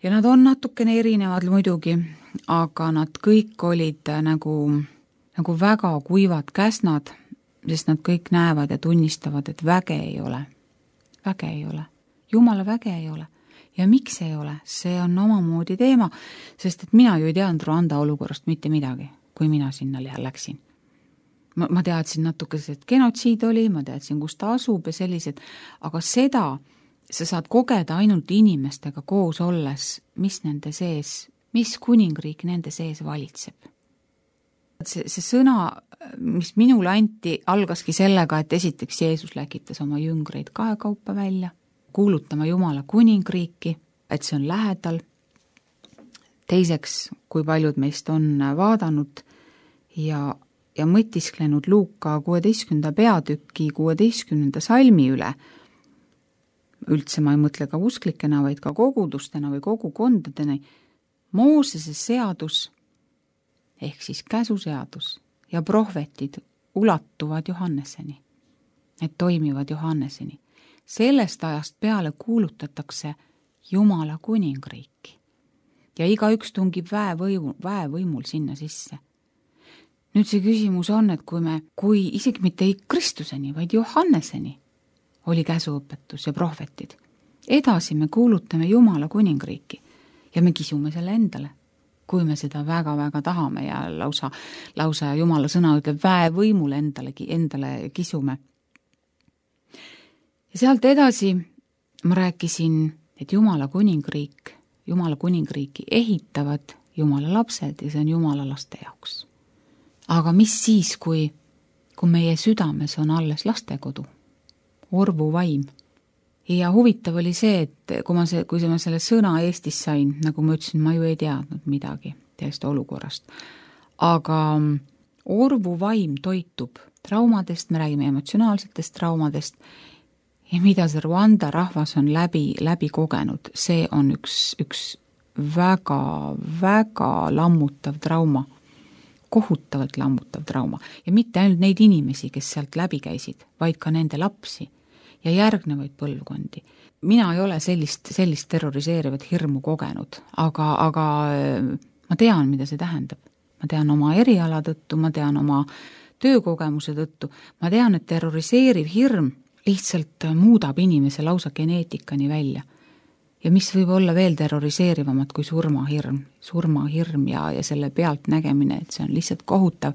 Ja nad on natukene erinevad muidugi, aga nad kõik olid nagu väga kuivad käsnad, sest nad kõik näevad ja tunnistavad, et väge ei ole. Väge ei ole. Jumala väge ei ole. Ja miks ei ole? See on omamoodi teema, sest et mina ju ei teadnud Rwanda olukorrast mitte midagi, kui mina sinna läksin. Ma teadsin natuke, et genotsiid oli, ma teadsin, kus ta asub ja sellised, aga seda sa saad kogeda ainult inimestega koos olles, mis nende sees, mis kuningriik nende sees valitseb. See sõna, mis minule anti, algaski sellega, et esiteks Jeesus läkitas oma jüngreid kahekaupa välja, kuulutama Jumala kuningriiki, et see on lähedal. Teiseks, kui paljud meist on vaadanud ja mõtisklenud Luuka 16. peatüki 16. salmi üle. Üldse ma ei mõtle ka usklikena, vaid ka kogudustena või kogukondadena. Moosese seadus ehk siis käsuseadus ja prohvetid ulatuvad Johanneseni. Need toimivad Johanneseni. Sellest ajast peale kuulutatakse Jumala kuningriiki. Ja igaüks tungib väevõimul sinna sisse. Nüüd see küsimus on, et kui isegi mitte Kristuseni, vaid Johanneseni oli käsuõpetus ja prohvetid. Edasi me kuulutame Jumala kuningriiki ja me kisume selle endale, kui me seda väga-väga tahame ja lausa Jumala sõna ütleb väevõimul endale kisume. Ja sealt edasi ma rääkisin, et Jumala kuningriiki ehitavad Jumala lapsed ja see on Jumala laste jaoks. Aga mis siis, kui meie südames on alles lastekodu, orvu vaim? Ja huvitav oli see, et kui ma selle sõna Eestis sain, nagu ma ütlesin, ma ju ei teadnud midagi sellest olukorrast. Aga orvu vaim toitub traumadest, me räägime emotsionaalsetest traumadest ja mida see Rwanda rahvas on läbi kogenud, see on üks väga, väga lammutav trauma. Kohutavalt lammutav trauma ja mitte ainult neid inimesi, kes sealt läbi käisid, vaid ka nende lapsi ja järgnevaid põlvkondi. Mina ei ole sellist terroriseerivat hirmu kogenud, aga ma tean, mida see tähendab. Ma tean oma eriala tõttu, ma tean oma töökogemuse tõttu, ma tean, et terroriseeriv hirm lihtsalt muudab inimese lausa geneetikani välja. Ja mis võib olla veel terroriseerivamat kui surmahirm ja selle pealt nägemine, et see on lihtsalt kohutav.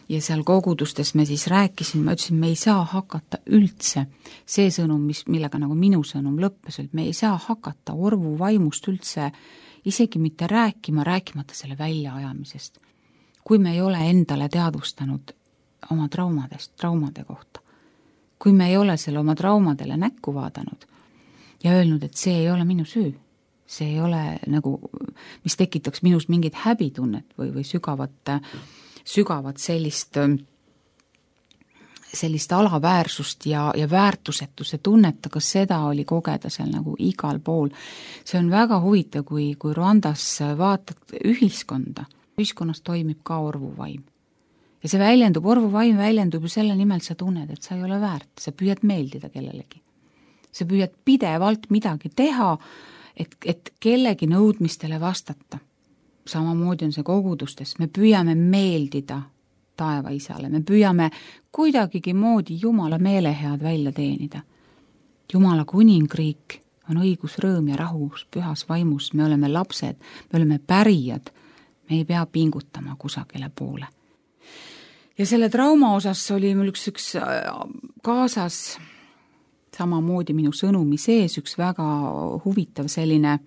Ja seal kogudustes me siis rääkisin, ma ütlesin, me ei saa hakata üldse see sõnum, millega nagu minu sõnum lõppes, et me ei saa hakata orvu vaimust üldse isegi mitte rääkimata selle väljaajamisest. Kui me ei ole endale teadvustanud oma traumade kohta, kui me ei ole selle oma traumadele näkku vaadanud, ja öelnud, et see ei ole minu süü. See ei ole nagu, mis tekitaks minus mingit häbitunnet või sügavat sellist alaväärsust ja väärtusetuse tunnet, aga seda oli kogeda seal nagu igal pool. See on väga huvitav, kui Rwandas vaatad ühiskonnas toimib ka orvuvaim. Ja see orvuvaim väljendub ju selle nimel, sa tunned, et sa ei ole väärt, sa püüad meeldida kellelegi. Sa püüad pidevalt midagi teha, et kellegi nõudmistele vastata. Samamoodi on see kogudustes. Me püüame meeldida taevaisale. Me püüame kuidagigi moodi Jumala meelehead välja teenida. Jumala kuningriik on õigus, rõõm ja rahus, pühas vaimus. Me oleme lapsed, me oleme pärijad. Me ei pea pingutama kusagile poole. Ja selle trauma osas oli mul üks kaasas samamoodi minu sõnumi sees üks väga huvitav selline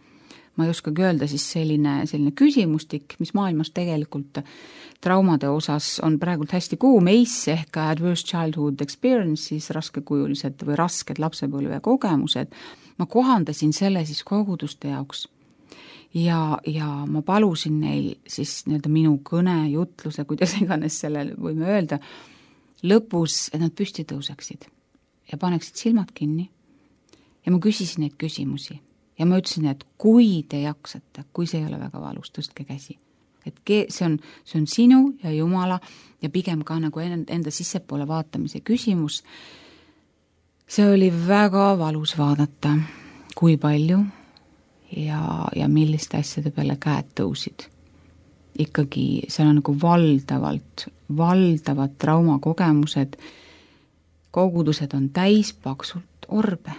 ma ei oskagi öelda, siis selline küsimustik, mis maailmas tegelikult traumade osas on praegult hästi kuum, ACE ehk Adverse Childhood Experiences, raskekujulised või rasked lapsepõlve kogemused, ma kohandasin selle siis koguduste jaoks. Ja ma palusin neil siis nii-öelda minu kõne, jutluse, kuidas iganes sellele võime öelda, lõpus, et nad püsti tõuseksid ja paneksid silmad kinni. Ja ma küsisin neid küsimusi ja ma ütlesin, et kui te jaksate, kui see ei ole väga valus, tõstke käsi. Et see on sinu ja Jumala ja pigem ka nagu enda sissepoole vaatamise küsimus. See oli väga valus vaadata, kui palju ja milliste asjade peale käed tõusid. Ikkagi seal on nagu valdavad traumakogemused, kogudused on täis paksult orbe,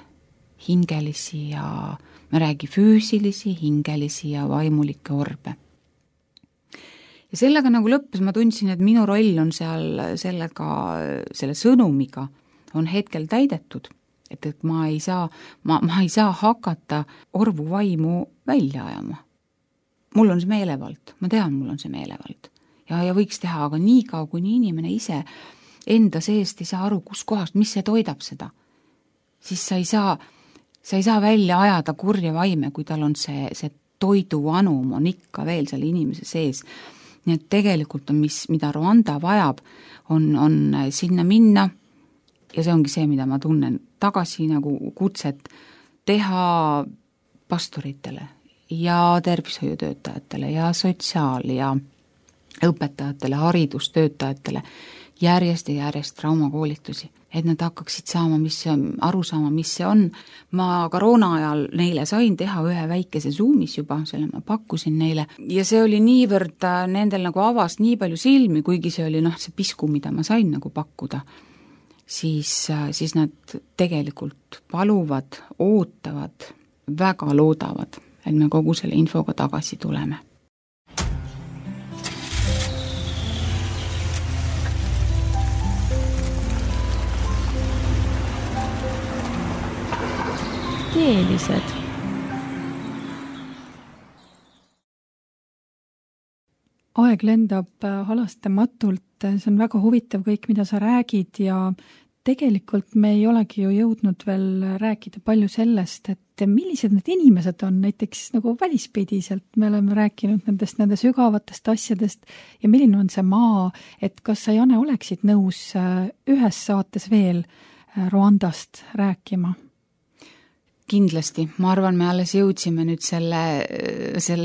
hingelisi ja me räägi füüsilisi, hingelisi ja vaimulikke orbe. Ja sellega nagu lõppes, ma tundsin, et minu roll on seal selle sõnumiga on hetkel täidetud, et ma ei saa hakata orvu vaimu välja ajama. Mul on see meelevald, ma tean, mul on see meelevald ja võiks teha, aga nii kaua, kuni inimene ise enda seest ei saa aru, kus kohast, mis see toidab seda, siis sa ei saa välja ajada kurja vaime, kui tal on see toiduanum on ikka veel selle inimese sees. Nii et tegelikult on, mida Rwanda vajab, on sinna minna ja see ongi see, mida ma tunnen tagasi nagu kutset teha pastoritele ja tervishoiutöötajatele ja sotsiaal- ja õpetajatele, haridustöötajatele järjest ja järjest traumakoolitusi, et nad hakkaksid aru saama, mis see on. Ma koroona ajal neile sain teha ühe väikese Zoomis juba, selle ma pakkusin neile ja see oli niivõrd nendel nagu avas nii palju silmi, kuigi see oli see pisku, mida ma sain nagu pakkuda, siis nad tegelikult paluvad, ootavad, väga loodavad, et me kogu selle infoga tagasi tuleme. Teelised. Aeg lendab halastamatult, see on väga huvitav kõik, mida sa räägid ja tegelikult me ei olegi ju jõudnud veel rääkida palju sellest, et millised need inimesed on näiteks nagu välispidiselt, me oleme rääkinud nende sügavatest asjadest ja milline on see maa, et kas sa, Jane, oleksid nõus ühes saates veel Rwandast rääkima? Kindlasti, ma arvan, me alles jõudsime nüüd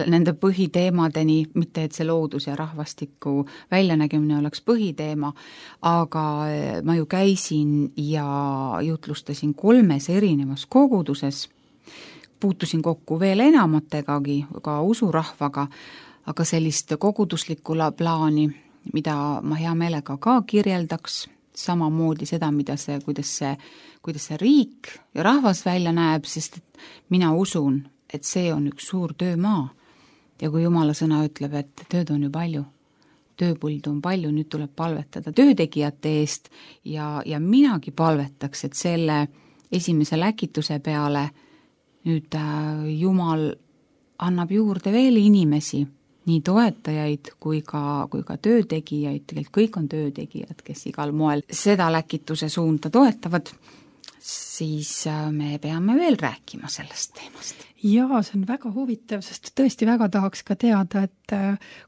nende põhiteemadeni, mitte et see loodus ja rahvastiku väljanägemine oleks põhiteema, aga ma ju käisin ja jutlustasin 3 erinevas koguduses, puutusin kokku veel enamategi, ka usurahvaga, aga sellist koguduslikku plaani, mida ma hea meelega ka kirjeldaks, samamoodi seda, kuidas see riik ja rahvas välja näeb, sest et mina usun, et see on üks suur töömaa. Ja kui Jumala sõna ütleb, et tööd on ju palju, tööpuldu on palju, nüüd tuleb palvetada töötegijate eest ja minagi palvetaks, et selle esimese läkituse peale nüüd Jumal annab juurde veel inimesi, nii toetajaid kui ka töötegijaid, tegelikult kõik on töötegijad, kes igal moel seda läkituse suunda toetavad, siis me peame veel rääkima sellest teemast. Jaa, see on väga huvitav, sest tõesti väga tahaks ka teada, et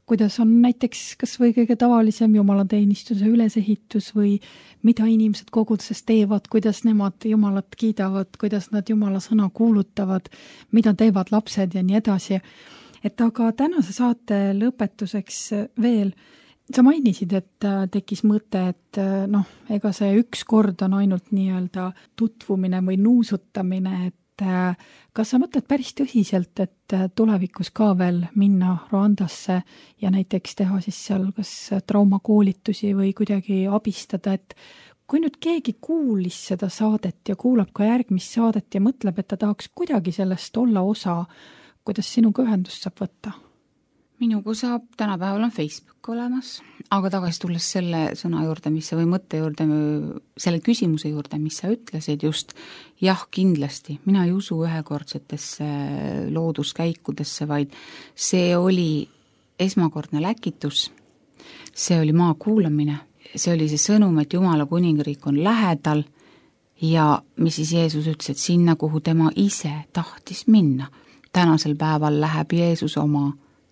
kuidas on näiteks kas või kõige tavalisem jumalateenistuse ülesehitus või mida inimesed koguduses teevad, kuidas nemad Jumalat kiidavad, kuidas nad Jumala sõna kuulutavad, mida teevad lapsed ja nii edasi. Et aga tänase saate lõpetuseks veel, sa mainisid, et tekkis mõte, et ega see üks kord on ainult nii-öelda tutvumine või nuusutamine, et kas sa mõtled päris tõsiselt, et tulevikus ka veel minna Rwandasse ja näiteks teha siis seal kas traumakoolitusi või kuidagi abistada, et kui nüüd keegi kuulis seda saadet ja kuulab ka järgmist saadet ja mõtleb, et ta tahaks kuidagi sellest olla osa, kuidas sinuga ühendust saab võtta? Minuga saab, tänapäeval on Facebook olemas, aga tagasi tulles selle sõna juurde, mis sa või mõtte juurde, selle küsimuse juurde, mis sa ütlesid just, jah, kindlasti, mina ei usu ühekordsetesse looduskäikudesse, vaid see oli esmakordne läkitus, see oli maa kuulamine, see oli see sõnum, et Jumala kuningriik on lähedal ja mis siis Jeesus ütles, et sinna, kuhu tema ise tahtis minna. Tänasel päeval läheb Jeesus oma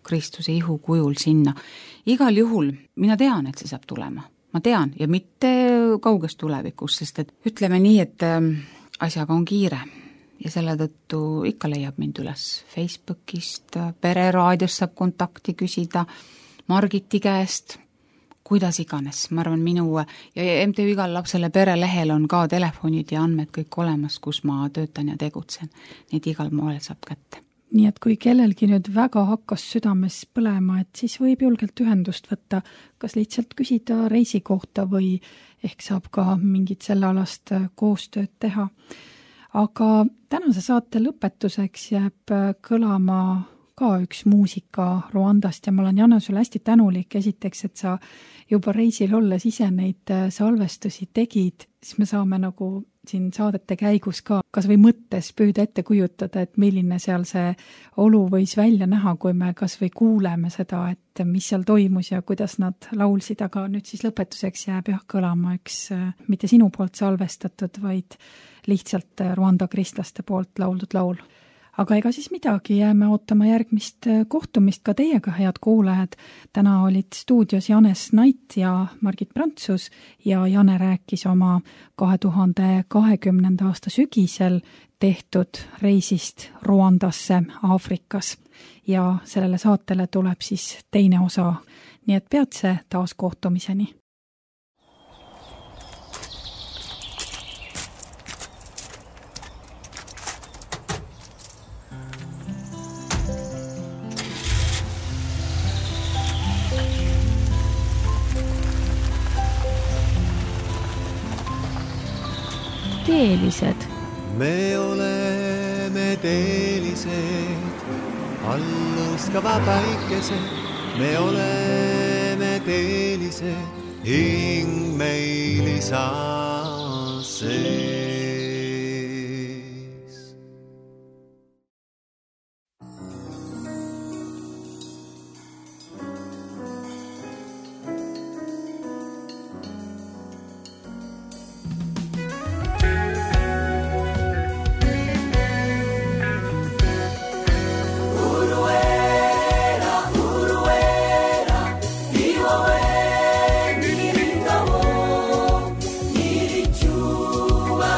Kristuse ihu kujul sinna. Igal juhul mina tean, et see saab tulema. Ma tean ja mitte kauges tulevikus, sest et ütleme nii, et asjaga on kiire ja selle tõttu ikka leiab mind üles Facebookist, Pereraadios saab kontakti küsida, Margiti käest, kuidas iganes. Ma arvan, minu ja MTÜ Igal lapsele perelehel on ka telefonid ja andmed kõik olemas, kus ma töötan ja tegutsen. Neid igal moel saab kätte. Nii et kui kellelgi nüüd väga hakkas südames põlema, et siis võib julgelt ühendust võtta, kas lihtsalt küsida reisi kohta või ehk saab ka mingit sellealast koostööd teha. Aga tänase saate lõpetuseks jääb kõlama ka üks muusika Rwandast ja ma olen, Janne, sulle hästi tänulik esiteks, et sa juba reisil olles ise neid salvestusi tegid, siis me saame nagu siin saadete käigus ka kas või mõttes püüda ette kujutada, et milline seal see olu võis välja näha, kui me kas või kuuleme seda, et mis seal toimus ja kuidas nad laulsid, aga nüüd siis lõpetuseks jääb jah kõlama üks mitte sinu poolt salvestatud, vaid lihtsalt Rwanda kristlaste poolt lauldud laul. Aga ega siis midagi, jääme ootama järgmist kohtumist ka teiega, head kuulajad. Täna olid stuudios Janes Nait ja Margit Prantsus ja Jane rääkis oma 2020. aasta sügisel tehtud reisist Rwandasse Aafrikas. Ja sellele saatele tuleb siis teine osa, nii et peatse taas kohtumiseni. Teelised. Me oleme teelised, allõskava päikesed. Me oleme teelised, hing meil isa sees. Chuva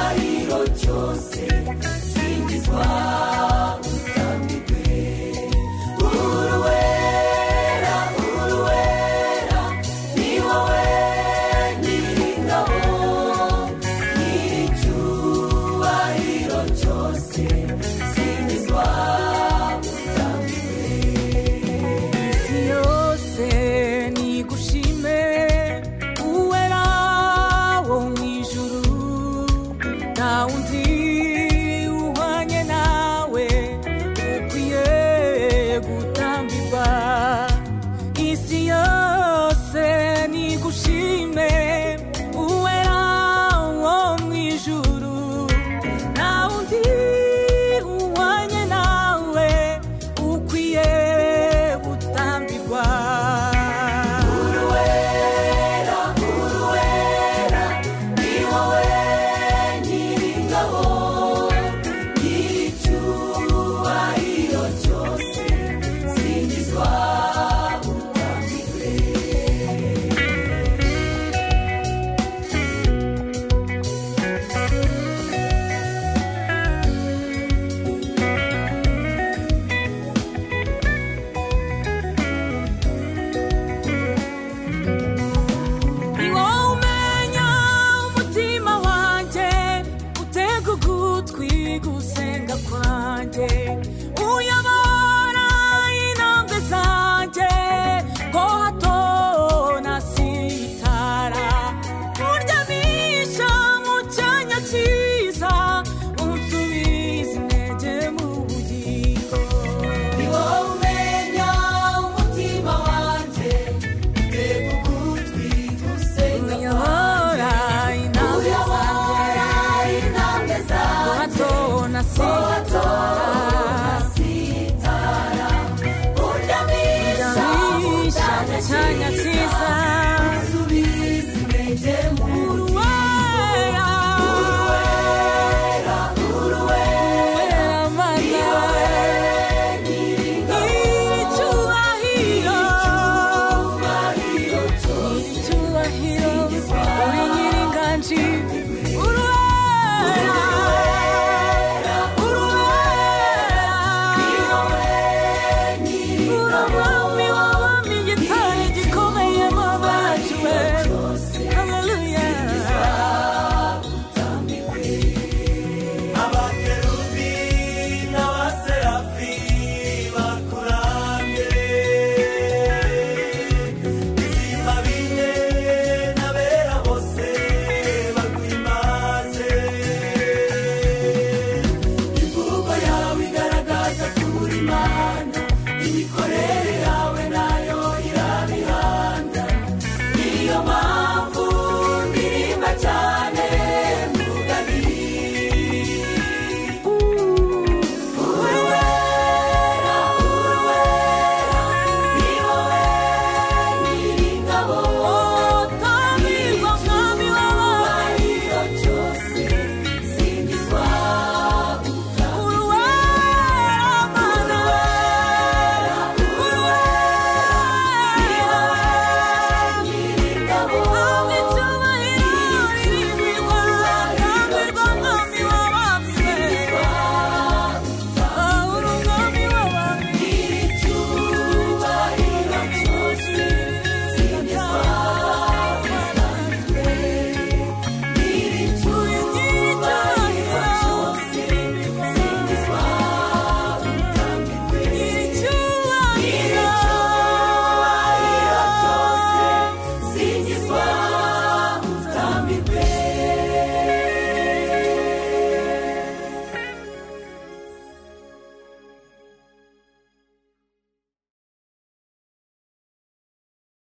imani